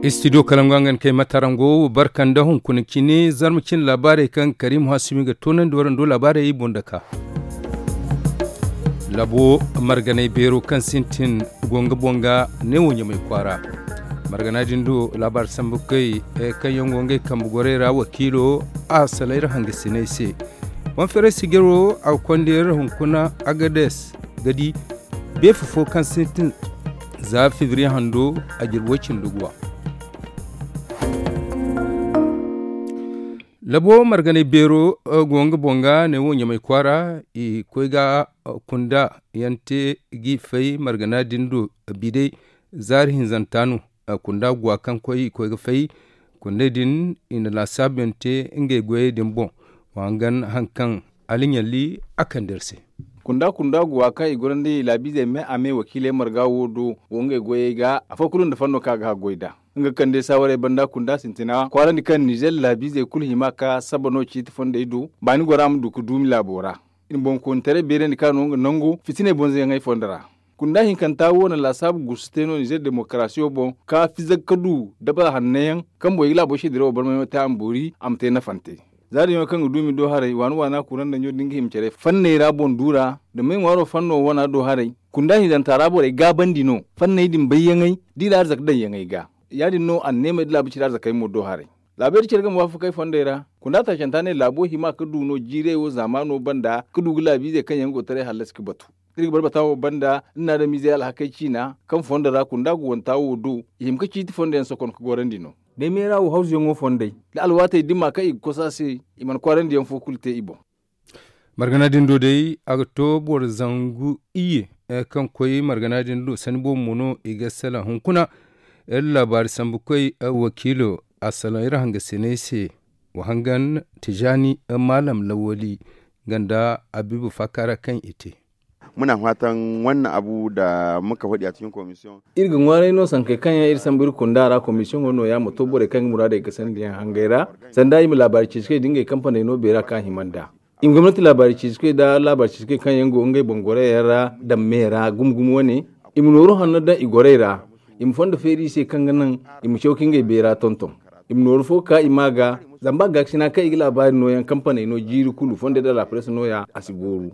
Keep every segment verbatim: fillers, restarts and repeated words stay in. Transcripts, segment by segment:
Istidiyo kalangu a ga ni kay matarango barka nda hunkuna cine zarma cine laabaarey kaŋ karimu hasumi ga toonandi warando laabaarey boŋ daka. Labo marganay beero kaŋ sintin go nga boŋ ga neewo ɲamay kwaara. Margana din do laabaari sambu kay kaŋ yaŋ go ngey kambe gorey ra wakiilo a salaŋ iri hangasiney se. Konferensi gero a ga konda iri hunkuna agades ga di beefa fo kaŋ sintin za fibiri hando a jirbi way cindi guwa. Labo marganay beero go nga boŋ ga ne wo ɲamay kwaara i koy ga kunda yaŋ te g'i fay margana din do. Bidey zaari hinzanta no kunda guwa kaŋ koy i koy ga fay. Kundey din i na laasaabu yaŋ te ngey goyey din boŋ. Wa hangan haŋ kaŋ aliɲalli a kande iri se. Kunda kunda guwa kaŋ i gorandi laabiizey me a me wakiiley marga wo do go ngey goyey ga afo kulu nda fanno kaŋ a ga haggoy nd'a. Nga kande saawarey banda kunda sintina kwaarandi kaŋ nizer laabiizey kulu hima ka saba no ciiti fondey do baani gora ma du ga duumi laabo ra. I na boŋkoonitaray beerandi kaŋ a no nga nango fitiney bonzoyaŋey fondo ra. Kunda hinkanta wo na laasaabu gusu te no nizer demokarasiyo boŋ ka fizag ka du dabara hanno yaŋ kaŋ boŋ i ga laabo seedirawo barmay ma te a ma boori a ma te nafante. Za din yaŋ kaŋ ga duumi do haray waana waana kuraŋ daŋ ɲo da nga hima care fanney ra boŋ du ra da may ŋwaaro fanno wana do haray. Kunda hinzanta ra borey gaabandi no fanney din bayyaŋey da i na arzak daŋyaŋey ga. Ya- din no anneemey da laabu cire arzakey mo do haray. Laabey da care ga ma waafakey fondey ra kunda taacanta ne laabo hima ga du no jiirey wo zaamaano banda ga du ga laabiizey kaŋ yaŋ go taray hallasi ga batu. Iri ga barbata wo banda nda naadamiizey alhakey ciina kaŋ fondo ra kunda ga wanta wo do i hima ga ciiti fondo yaŋ sokon ga gorandi no. Day meera wo hawzuyaŋo fondey da alwaatey dima kaŋ i ga kosa se i mana kwaarandi yaŋ fo kulu te i boŋ. Margana din do day a ga to boro zangu iyye kaŋ koy margana din do sanni boobo mo no i ga salaŋ hunkuna. Iri laabaari sambu koy wakiilo a salaŋ iri hangasiney se. Wa hangan tijaani maalam lawali nga nda abiibu faakaara kaŋ i te. Muna fatan wannan abu da muka faɗi a cikin komisiyon. Iri ga ŋwaaray no sankey kaŋ yaŋ iri sambu iri kunda ra komisiyoŋo no- ya ma to borey kaŋ ga muraadey ga sandi yaŋ hangey ra sanda i ma laabaari ceeci kay da ngey kampaney no beera kaŋ a hima nd'a. I ma gomnati laabaari ceeci kay da laabaari ceeci kay kaŋ yaŋ go ngey boŋ gorey yaŋ ra daŋ me ra gumo gumo wane. I ma nooru hanno daŋ i gorey ra. I ma fondo feeri i se kaŋ ga naŋ i ma caw ka ngey beera tonton. I ma nooru fo ka i ma ga zama ba gaakasina kaŋ i ga laabaari nooyaŋ kampaney no jiiri kulu fondey da laapares nooya a si gooru.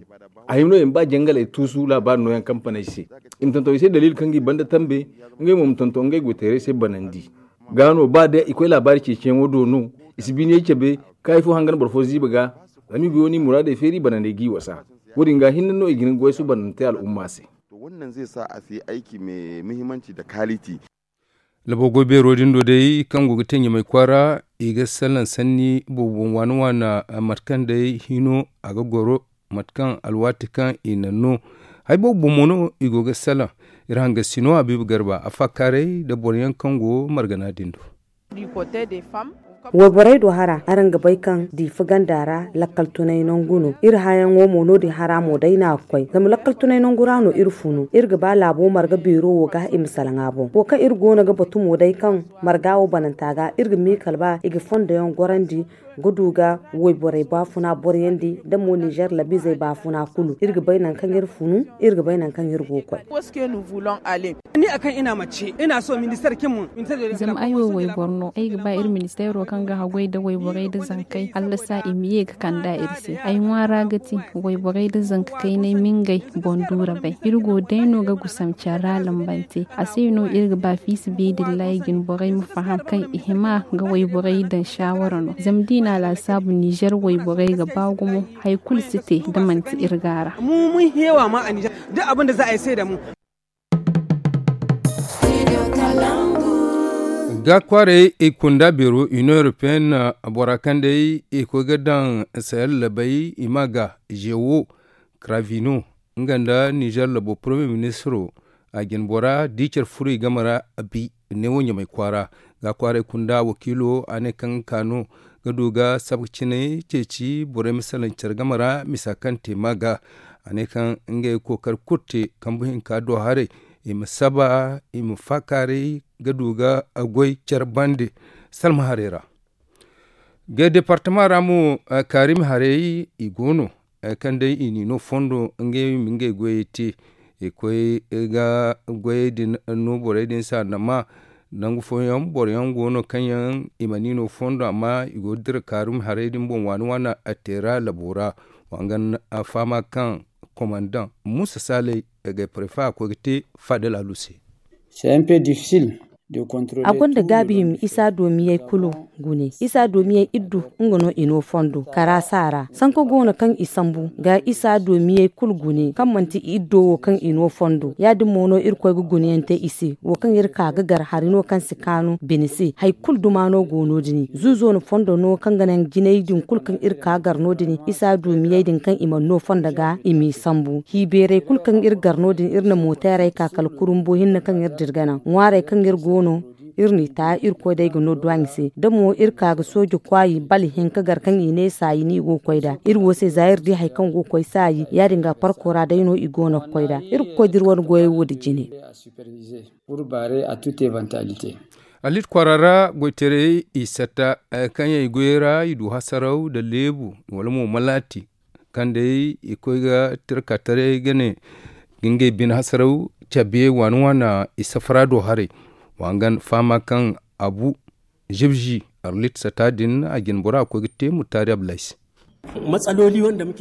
A hima no i ma ba jangaley tuusu laabaari nooyaŋ kampaney se. I ma tonton i se daliili kaŋ ga i banda tambe. Ngey mo ma tonton ngey goyteerey se banandi. Ga no ba day i koy laabaari ceeciyaŋo do no i si biiniyey cabe. Kaayi fo hangan boro fo ziiba ga zama i go no i muraadey feeri banandey g'i wasa. Wo- din ga hinne no i ga hin ga goy suubanante al'umma se. To wannan zai sa a si aiki mai muhimmanci da kaliti. Labo goy beero din do day kaŋ go ga te ɲamay kwaara i ga salaŋ sanni boobo boŋ waana waana. Mate kaŋ day hino a ga goro mate kaŋ alwaati kaŋ i na no hari boobo boŋ mo no i go ga salaŋ. Iri hangasino habiibu garba a faakaaray nda boro yaŋ kaŋ go margana din do. Wayborey do hara araŋ ga bay kaŋ diifa ganda ra lakkal tunay nangu no iri hayaŋo mo no- din hara mo day no a ga koy zama lakkal tunay nangu ra no iri funu iri ga ba laabo marga beero wo ga i ma salaŋ a boŋ wo kaŋ iri go no ga batu mo day kaŋ marga wo bananta ga iri ga miikal ba i ga fondo yaŋ gorandi ga du ga wayborey baafuna boryandi nda mo ninzeer labiizey baafuna kulu iri ga bay nangu kaŋ iri funu iri ga bay nangu kaŋ iri go ga koy. Ni a kaŋ ina mace ina so ministar kin mun. Zama ay wo wayboro no ay ga ba iri ministeero kaŋ ga haggoy nda wayborey nda zankey hallasa i ma ye ga kand'a iri se ay ŋwaara ga ti wayborey nda zanka kaynay ma ngey boŋ duura bay iri go day no ga gusam care ra lambante a se no iri ga ba fiisa beedillahi jinborey ma faham kaŋ i hima ga wayborey daŋ saawara no zama da i na a laasaabu ninzeer wayborey ga ba gumo hari kulu si te da manti iri gaara. Mu mun heewa ma a ninzeer duk abin da za a yi sai da mu. Ga kwaaray i kunda beero union européenne bora kaŋ day i koy ga daŋ sayar labay i ma ga jewo kravino nga nda nizer labo premier ministro a jin bora da i care furo i game ra. Bi neewo ɲamay kwaara ga kwaaray kunda wakiilo a ne kaŋ ga ka no ga du ga sabka cinay ceeci borey ma salaŋ care game ra misa kaŋ te ma ga a ne kaŋ ngey kookari kulu te kambu hinka do haray i ma saba i ma faakaaray ga du ga goy care bande salma haray ra. Ga departama ra mo kaarimi haray i go no kaŋ day i n'i no fondo ngey ma ngey goyey te i koy ga goyey din no borey din se a nama Nangu fooyaŋ boro yaŋ go no kaŋ yaŋ i mana i no fondo amma i go ga dira kaarumi haray din boŋ waani waani a teera labo ra. Wa hangan a fahama kaŋ komandaŋ muusa saalay ga prefe a koy ga te faadal alu se. A gonda gaabi hima isa doomiyey kulu gune isa doomiyey iddu nga no i no fondo karaasa ra sanka go no kaŋ i sambu ga isa doomiyey kulu gune kaŋ manti iddo wo kaŋ i no fondo ya- din mo no irkoy ga guneyaŋ te i se wo kaŋ iri ka ga gar hari no kaŋ si kaanu bine se hari kulu duma no go no- din zuuzo no fondo no kaŋ ga naŋ jinay din kulu kaŋ iri ka gar no- din isa doomiyey din kaŋ i mana no fondo ga i m'i sambu hiibeerey kulu kaŋ iri gar no- din iri na mooteerey ka kala kurumbo hinne kaŋ iri dira ga naŋ ŋwaarey kaŋ iri go no iri n'i ta irkoy day ga no duwaaɲi se da mo iri ka ga sooje kwaayi bala hinka gar kaŋ i ne saayi no i go ga koy nd'a iri wo se za iri di hari kaŋ go ga koy saayi ya- din ga parko ra day no i go no ga koy nd'a iri ga koy da iri wane goyey wo nda jine. Alit kwaara ra goytaray i satta kaŋ yaŋ i goyey ra i du hasaraw nda leebu wala mo malaati kaŋ day i koy ga tira ka taray ga ne ga ngey bine hasaraw cabe waani waana i safara do haray. Wa hangan fahama kaŋ abu zibzi arlit sata din a jine bora a koy ga te mutaari ablays.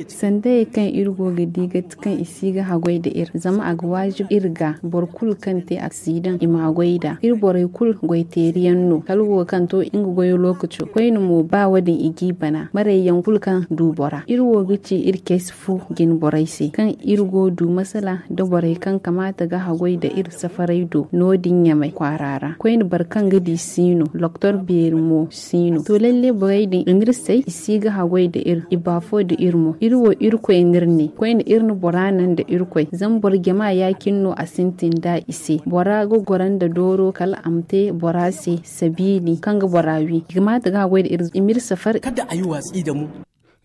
Sandayey kaŋ iri go ga di ga ti kaŋ i si ga haggoy nda iri zama a ga waajib iri ga boro kulu kaŋ te aksidaŋ i ma haggoy nd'a iri borey kulu goy teeri yaŋ no kala wo kaŋ to nga goyo lookaco koyne mo ba wo- din i g'i bana marey yaŋ kulu kaŋ du bora iri wo ga ci iri cayse fo jine borey se kaŋ iri go du masala nda borey kaŋ kamaata ga haggoy nda iri safaray do no- din ɲamay kwaara ra koyne boro kaŋ ga di si no loktor beeri mo si no to lalle borey din i n'iri say i si ga haggoy nda iri i baafo nda iri mo iri wo irkoy n'iri ne koyne iri na bora naŋ nda irkoy zama boro jama ya- cine no a sintin nd'a i se bora ga goro nda dooro kala a ma te bora se sabiili kaŋ ga bora wi i ga maata ga haggoy nda iri i m'iri safari.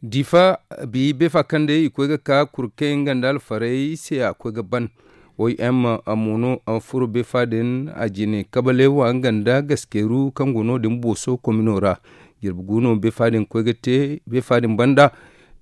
Diifa bi beefa kaŋ day i koy ga ka kurkey nga nda alfarey se a koy ga ban. Oy m a mo no a furo beefa din a jine kabaleewa nga nda gaskeeru kaŋ go no- din booso komino ra. Jirbi gu no beefa din koy ga te beefa din banda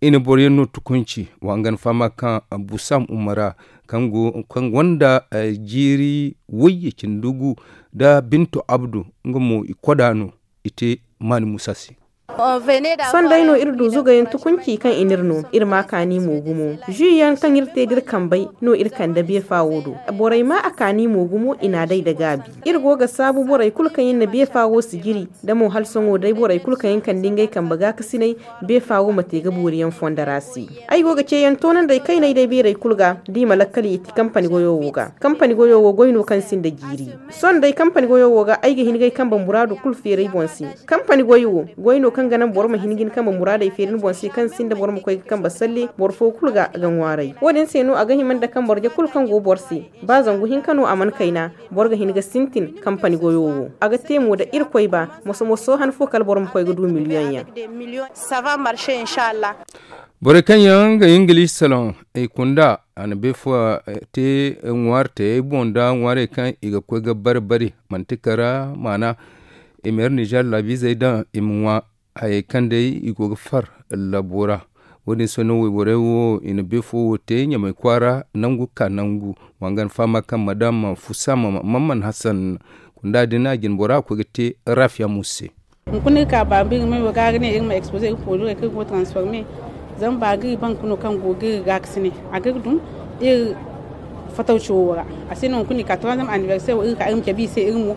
i na boro yaŋ no tukunci wa nga ni fahama kaŋ busam umara kaŋ gonda jiiri wayye cindi gu nda binto abdu nga mo i koda no i te maani musa se. Sohõ day no iri du zugayaŋ tukunci kaŋ i n'iri no iri ma kaani mo gumo. Zu yaŋ kaŋ iri te da iri kambey no iri kande beefa wo do. Borey ma a kaani mo gumo i n'a day nda gaabi. Iri go ga saabu borey kulu kaŋ yaŋ na beefa wo sijiri nda mo hala sohõ day borey kulu kaŋ yaŋ kande ngey kambe gaakasiney beefa wo ma te ga boori yaŋ fondo ra se. Ay go ga ceeyaŋ toonanday kayney day beerey kulu ga da i ma lakkal i ti kampani goyo wo ga kampani goyo wo goy no kaŋ sinda jiiri. Sohõ day kampani goyo wo ga ay ga hin ga ay kambe muraadu kulu feeri ay boŋ se. Kampani goy wo goy no kaŋ ga naŋ boro ma hin ga ni kambe muraadey feeri ni boŋ se kaŋ sinda boro ma koy ga kambe salle boro fo kulu ga ga ŋwaaray wo- din se no a ga hima nda kaŋ boro je kulu kaŋ go boro se ba zangu hinka no a mana kayna boro ga hin ga sintin kampani goyo wo a ga te mo nda irkoy ba moso moso han fo kala boro ma koy ga du miliyoŋ yaŋ. Borey kaŋ yaŋ ga ingiliisi saloŋ i kunda a na beefa te ŋwaari tayey boŋ nda ŋwaarey kaŋ i ga koy ga bari bari manti kara maana i ma iri nizer laabiizey daŋ i ma ŋwa. Hayey kaŋ day i go ga far labo ra wo- din se no wayborey wo i na beefo wo te ɲamay kwaara nangu ka nangu. Wa nga ni fahama kaŋ madam fusama mamman hasan kunda din a jine bora a koy ga te rafiya musa se. Hunkuna iri ka baaba iri ma iri ga ga ne iri ma expose iri produit kaŋ iri go transforme. Zama ba ga iri ban ga no kaŋ go ga iri gaakasinay a ga iri dum iri fatawci wo ra. A se no hunkuna iri ka troisième anniversaire wo iri ka iri ma cabe iri se iri mo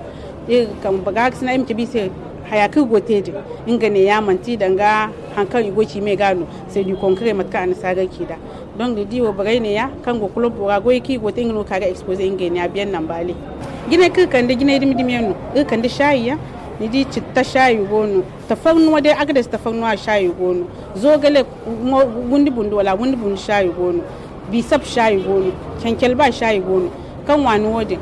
iri kambe gaakasinay iri ma cabe iri se. Haya kaŋ iri go ga te din nga ne ya manti danga hari kaŋ i go ga ci me ga no. C'est du concret mate kaŋ annasaarey ci nd'a. Donc ni di wo borey ne ya kaŋ go club ra goyey kaŋ i go ga te nga no ga ka ga expose ngey ne ya biyan nambale. Jinay kaŋ iri kande jinay dumi dumi yaŋ no iri kande saayi yaŋ. Ni di citta saayi go no. Tafarnuwa day agades tafarnuwa saayi go no. Zoogale windi bundu wala windi bundu saayi go no. Bisap saayi go no. Cancal ba saayi go no. Kaŋ waani wo- din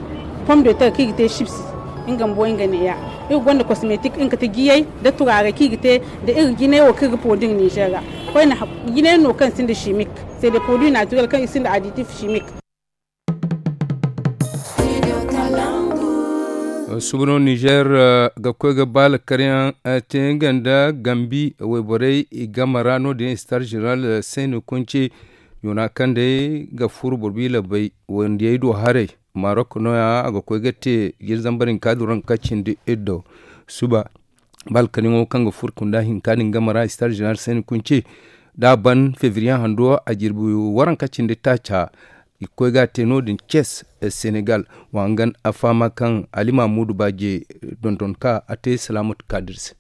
pom de ter kaŋ i ga te sibsi nga bumbo nga ne ya. Iri gonda kosmetik nga kate jiyey nda turaarey kaŋ i ga te nda iri jinay wo kaŋ iri ga poodin nizer ra. Koyne jinay no kaŋ sinda simik. C'est des produits naturels kaŋ i sinda aditif simik. Suba no nizer ga koy ga baala karyaŋ te nga nda gambi wayborey i game ra no- din star general seno konce yoona kaŋ day ga furo borbi labay wandiyey do haray. Marok nooya a ga koy ga te jiri zambar hinka duranka cindi iddo suba. Balkaryaŋo kaŋ ga furo kunda hinka din game ra star jeneral sani kunce da a ban fevriye hando a jirbi waranka cindi taaca. I ga koy ga a te no- din ces senegal. Wa hangan a fahama kaŋ ali mamudu baaje dondon ka a te salamatu kadir se.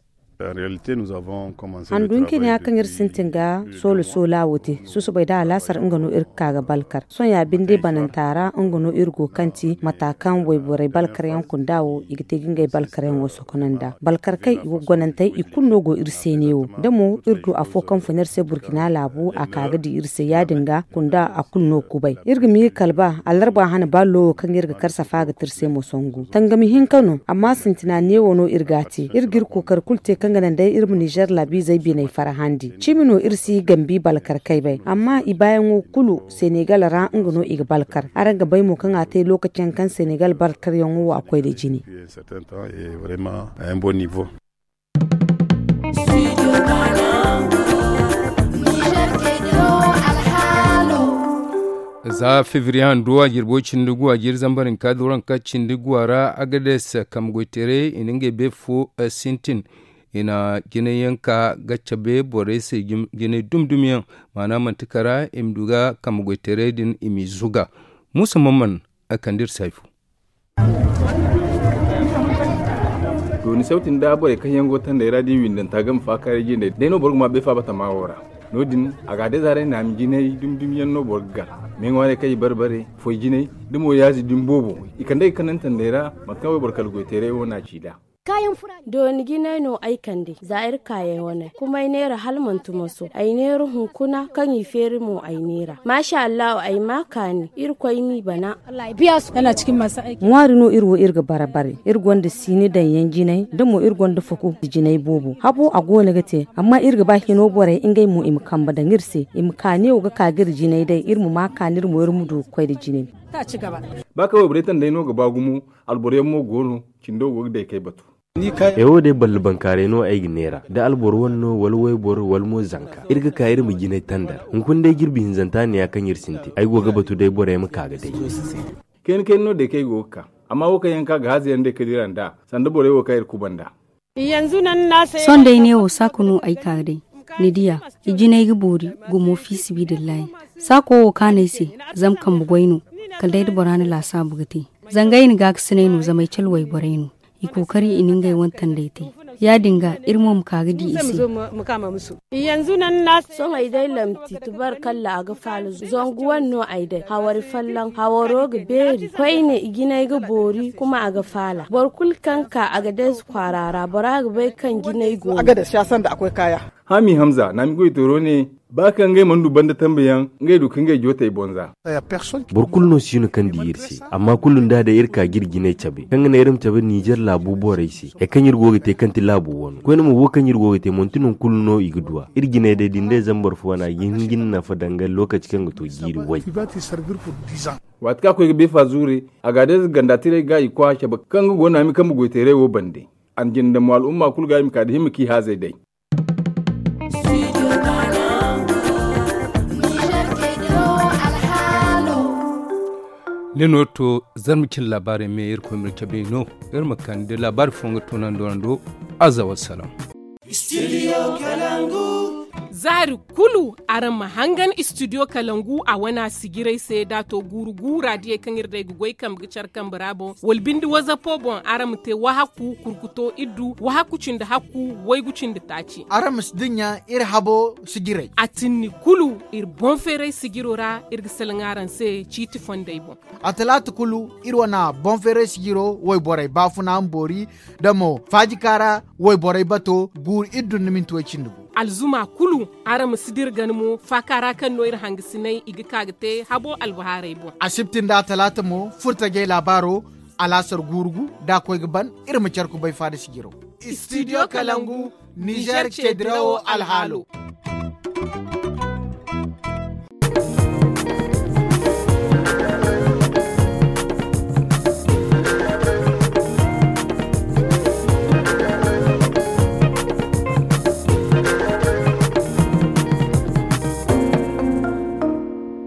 Handu hinka ne ya kaŋ iri sintin ga soolo soolo a wo te susubay da alaasar nga no iri ga ka ga balkar sohõ ya binde bananta ra nga no iri go kaŋ ti mata kaŋ wayborey balkaryaŋ kunda wo i ga te ga ngey balkaryaŋo sokonanda balkar kaŋ i go gonantey i kulu no go iri se ne wo da mo iri du afo kaŋ fun iri se burkina laabu a ka ga di iri se ya- din ga kunda a kulu no kubay iri ga miiri kala ba alarba hana ba lowo kaŋ iri ga kar safa ga te iri se mo songu tangami hinka no amma sintina neewo no iri ga a te iri ga iri kookari kulu te kaŋ ga naŋ day iri ma nizer laabiizey biney farhandi cimi no iri si gambi balkar kaybay amma i baayaŋo kulu senegal ra nga no i ga balkar araŋ ga bay mo kaŋ a te lokaci yaŋ kaŋ senegal balkaryaŋo wo a koy nda jine. Za fevriye hando a jirbo cindi gu a jiri zambar hinka duranka cindi gu a ra agades kambe goyteerey i na ngey beefo sintin i na jinay yaŋ ka ga cabe borey se jinay dumi dumi yaŋ. Maana manti kara i ma du ga kambe goyteerey din i m'i zuga. Muusa mamman a kande iri se hari fo. Dooni sawti nda borey kaŋ yaŋ go tandey ra da i windanta game faakaaray jindey day no boro ga ma bay faaba tama wo ra. No- din a ga a day zaarey naami jinay dumi dumi yaŋ no boro ga gar. Me ŋwaarey kaŋ i bare bare foy jinay da mo yaazi dumi boobo i kand'ey ga kanantandey ra. Mate kaŋ wayboro kala goyteeray wo no a ci nd'a. Dooni jinay no ay kande za iri kaayey wane kuma ay neera hala manti moso ay neera hunkuna kaŋ i feeri mo ay neera maasa allahu ay ma kaani irkoy m'i bana. Ŋwaari no iri wo iri ga bare bare iri gonda siini daŋ yaŋ jinay da mo iri gonda faku jinay boobo habo a go no ga te amma iri ga ba hino borey ngey mo i ma kambe daŋ iri se i ma kaani wo ga ka ga iri jinay day iri ma ma kaani iri mo iri ma du ga koy nda jinay. Ba kaŋ wayborey tandey no ga ba gumo alboro yaŋ mo go no cindo go ga day kay batu. Ay wo day balli bankaaray no ay ga neera da alboro wane no wala wayboro wala mo zanka iri ga ka iri ma jinay tandar hunkuna day jirbi hinzanta ne ya kaŋ iri sintin ay go ga batu day borey ma ka ga day. Kayna kayna no day kaŋ ay go ga ka amma wo kaŋ yaŋ ka ga haaza yaŋ day ka dira nd'a sanda borey wo kaŋ iri kuba nd'a. Sohõ day neewo saaka no ay ka ga day ni diya i jinay ga boori gumo fiisibidillahi. Saako wo kaanay se zama kambe goy no kala day da bora na laasaabu ga te. Zanga ay na gaakasinay no zama ay cale wayborey no i kookari i na ngey wane tandey te. Ya- din ga iri mo ma ka ga di i se. Sohõ ay day lamti tubarkalla a ga faala zangu wane no ay day hawari folloŋ hawaro ga beeri koyne i jinay ga boori kuma a ga faala boro kulu kaŋ ka a ga day kwaara ra bora ga bay kaŋ jinay go no. Haami hamza naami goytooro ne ba kaŋ ngey mana du banda tambe yaŋ ngey du ka ngey jootey bonza. Boro kulu no si no kaŋ di iri se amma kulu nda day iri ka ga iri jinay cabe kaŋ ga naŋ iri ma cabe nizer laabu borey se hari kaŋ iri go ga te kaŋ ti laabu wano koyne mo wo kaŋ iri go ga te manti nangu kulu no i ga du a iri jinay day da ni day zama boro fo wane a ga hin ga ni nafa danga lookaci kaŋ ga to jiiri way. Waati kaŋ a koy ga beefa zuure a ga a day za ganda tiray ga i koy a cabe kaŋ ga go naami kambe goyteeray wo bande. A na jinde mo al'umma kulu ga i ma ka da himma kaŋ i haazey day. Ni no to zarma cine laabaarey me iri koy ma iri cabe no iri ma kande laabaari fo nga toonando ra do. Aza wassalam. Zaari kulu araŋ ma hangan studio kalangu a wana sijiray se da to guuru guura diyey kaŋ iri day ga goy kambe ga care kambe ra boŋ wala binde wazapo boŋ araŋ ma te wahakku kurkuto iddu wahakku cindi hakku waygu cindi taaci. Araŋ ma si dinya iri habo sijiray. A tinni kulu iri boŋ feeray sijiro ra iri ga salaŋ araŋ se ciiti fondey boŋ. A talaata kulu iri wana boŋ feeray sijiro wayborey baafuna ma boori da mo faajika ra wayborey bato guuru iri dun ni minti way cindi gu. Alzuma kulu araŋ ma si dira gana mo faaka ra kaŋ no iri hangasinay i ga ka ga te habo albahaarey boŋ. Asibti nda talaata mo furtajey laabaaro alaasar guuru gu da a koy ga ban iri ma care kubay faada sijiro. Studio kalangu nizer ce dirawo alhaalo.